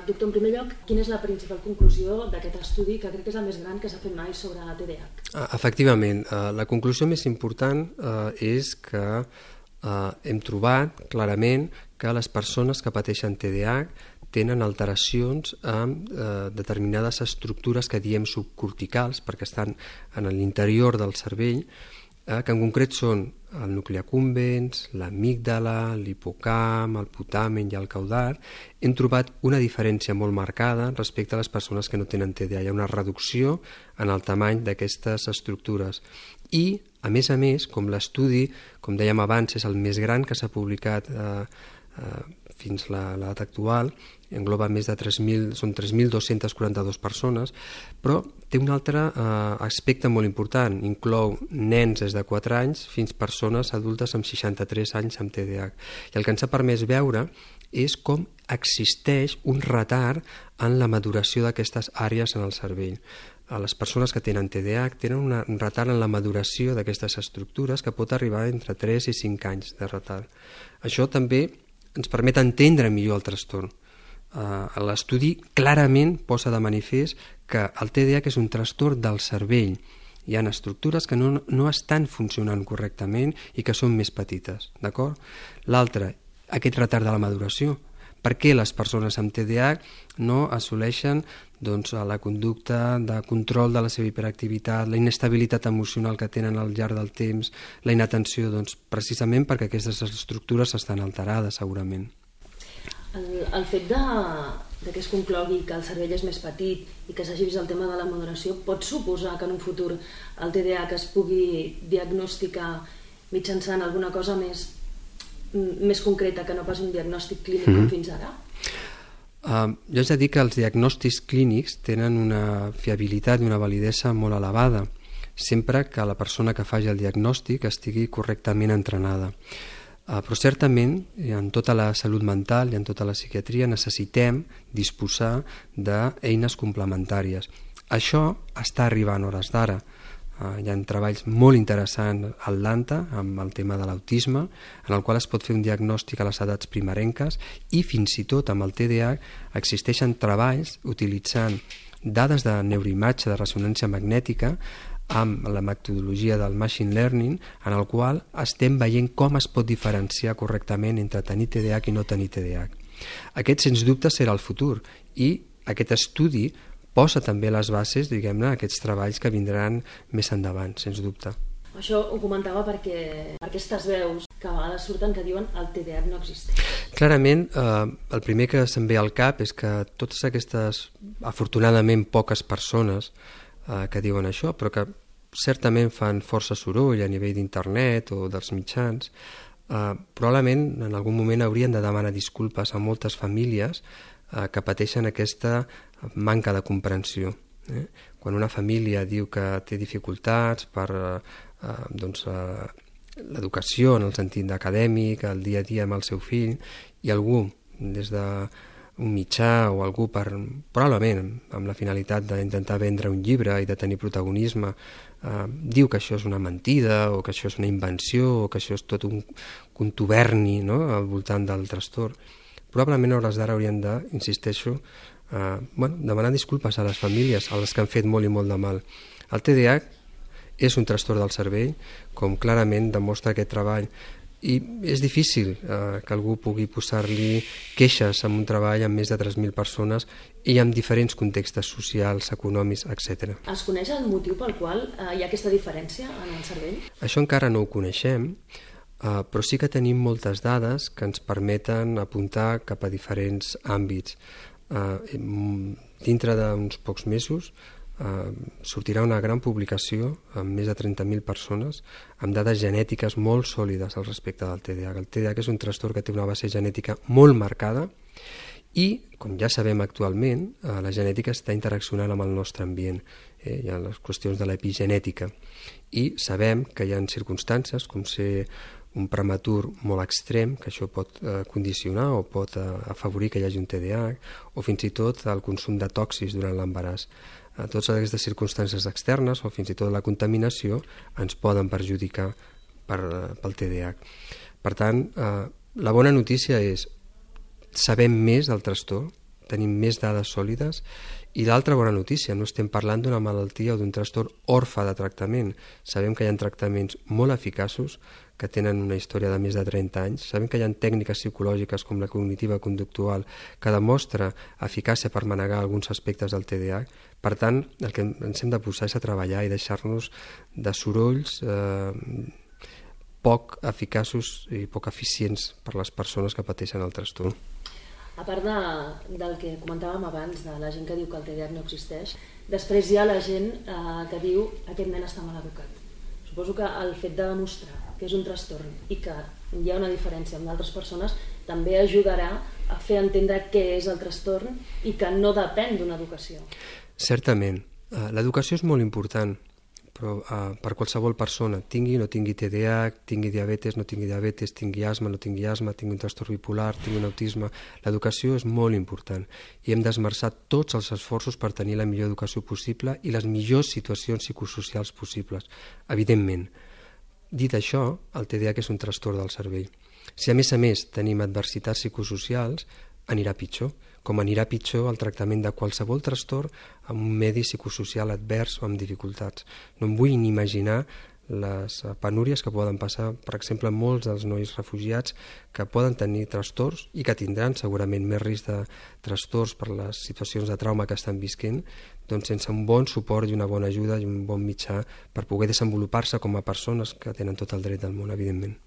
Doctor, en primer lloc, quina és la principal conclusió d'aquest estudi, que crec que és el més gran que s'ha fet mai sobre la TDAH? Efectivament, la conclusió més important és que hem trobat clarament que les persones que pateixen TDAH tenen alteracions amb determinades estructures que diem subcorticals, perquè estan en l'interior del cervell, que en concret són el nucli accumbens, l'amígdala, l'hipocamp, el putamen i el caudal. Hem trobat una diferència molt marcada respecte a les persones que no tenen TDAH. Hi ha una reducció en el tamany d'aquestes estructures. I, a més, com l'estudi, com dèiem abans, és el més gran que s'ha publicat fins a l'edat actual, engloba més de 3.242 persones, però té un altre aspecte molt important, inclou nens des de 4 anys fins persones adultes amb 63 anys amb TDAH. I el que ens ha permès veure és com existeix un retard en la maduració d'aquestes àrees en el cervell. Les persones que tenen TDAH tenen un retard en la maduració d'aquestes estructures que pot arribar entre 3 i 5 anys de retard. Això també ens permet entendre millor el trastorn. L'estudi clarament posa de manifest que el TDAH és un trastorn del cervell. Hi ha estructures que no estan funcionant correctament i que són més petites, d'acord? L'altre, aquest retard de la maduració. Per què les persones amb TDAH no assoleixen la conducta de control de la seva hiperactivitat, la inestabilitat emocional que tenen al llarg del temps, la inatenció? Precisament perquè aquestes estructures estan alterades, segurament. El fet que es conclogui que el cervell és més petit i que s'hagi vist el tema de la maduració pot suposar que en un futur el TDAH es pugui diagnosticar mitjançant alguna cosa més concreta que no pas un diagnòstic clínic com fins ara? Jo haig de dir que els diagnòstics clínics tenen una fiabilitat i una validesa molt elevada, sempre que la persona que faci el diagnòstic estigui correctament entrenada. Però certament en tota la salut mental i en tota la psiquiatria necessitem disposar d'eines complementàries. Això està arribant a hores d'ara. Hi ha treballs molt interessants a Atlanta amb el tema de l'autisme, en el qual es pot fer un diagnòstic a les edats primerenques, i fins i tot amb el TDAH existeixen treballs utilitzant dades de neuroimatge de ressonància magnètica amb la metodologia del machine learning, en el qual estem veient com es pot diferenciar correctament entre tenir TDAH i no tenir TDAH. Aquest, sens dubte, serà el futur, i aquest estudi posa també les bases, diguem-ne, aquests treballs que vindran més endavant, sens dubte. Això ho comentava perquè aquestes veus que a vegades surten que diuen el TDAH no existeix. Clarament, el primer que se'm ve al cap és que totes aquestes, afortunadament, poques persones que diuen això, però que certament fan força soroll a nivell d'internet o dels mitjans, probablement en algun moment haurien de demanar disculpes a moltes famílies que pateixen aquesta manca de comprensió. Quan una família diu que té dificultats per l'educació en el sentit acadèmic, el dia a dia amb el seu fill, i algú des d'un mitjà o algú probablement amb la finalitat d'intentar vendre un llibre i de tenir protagonisme, diu que això és una mentida o que això és una invenció o que això és tot un contuberni al voltant del trastorn. Probablement a hores d'ara haurien de, insisteixo, demanar disculpes a les famílies, a les que han fet molt i molt de mal. El TDAH és un trastorn del cervell, com clarament demostra aquest treball, i és difícil que algú pugui posar-li queixes en un treball amb més de 3.000 persones i amb diferents contextes socials, econòmics, etc. Es coneix el motiu pel qual hi ha aquesta diferència en el cervell? Això encara no ho coneixem, però sí que tenim moltes dades que ens permeten apuntar cap a diferents àmbits. Dintre d'uns pocs mesos sortirà una gran publicació amb més de 30.000 persones amb dades genètiques molt sòlides al respecte del TDAH. El TDAH és un trastorn que té una base genètica molt marcada i, com ja sabem actualment, la genètica està interaccionant amb el nostre ambient. Hi ha les qüestions de l'epigenètica i sabem que hi ha circumstàncies com ser un prematur molt extrem, que això pot condicionar o pot afavorir que hi hagi un TDAH, o fins i tot el consum de tòxics durant l'embaràs. Totes aquestes circumstàncies externes o fins i tot la contaminació ens poden perjudicar pel TDAH. Per tant, la bona notícia és sabem més del trastorn, tenim més dades sòlides. I l'altra bona notícia, no estem parlant d'una malaltia o d'un trastorn orfe de tractament. Sabem que hi ha tractaments molt eficaços que tenen una història de més de 30 anys. Sabem que hi ha tècniques psicològiques com la cognitiva conductual que demostra eficàcia per manegar alguns aspectes del TDAH. Per tant, el que ens hem de posar és a treballar i deixar-nos de sorolls poc eficaços i poc eficients per a les persones que pateixen el trastorn. A part del que comentàvem abans, de la gent que diu que el TDAH no existeix, després hi ha la gent que diu aquest nen està mal educat. Suposo que el fet de demostrar que és un trastorn i que hi ha una diferència amb d'altres persones també ajudarà a fer entendre què és el trastorn i que no depèn d'una educació. Certament. L'educació és molt important, però per qualsevol persona, tingui o no tingui TDAH, tingui diabetes, no tingui diabetes, tingui asma, no tingui asma, tingui un trastorn bipolar, tingui un autisme, l'educació és molt important i hem d'esmerçar tots els esforços per tenir la millor educació possible i les millors situacions psicosocials possibles, evidentment. Dit això, el TDAH és un trastorn del cervell. Si a més tenim adversitats psicosocials, anirà pitjor, com anirà pitjor el tractament de qualsevol trastorn amb un medi psicosocial advers o amb dificultats. No em vull ni imaginar les penúries que poden passar, per exemple, molts dels nois refugiats que poden tenir trastorns i que tindran segurament més risc de trastorns per les situacions de trauma que estan visquent, doncs sense un bon suport i una bona ajuda i un bon mitjà per poder desenvolupar-se com a persones que tenen tot el dret del món, evidentment.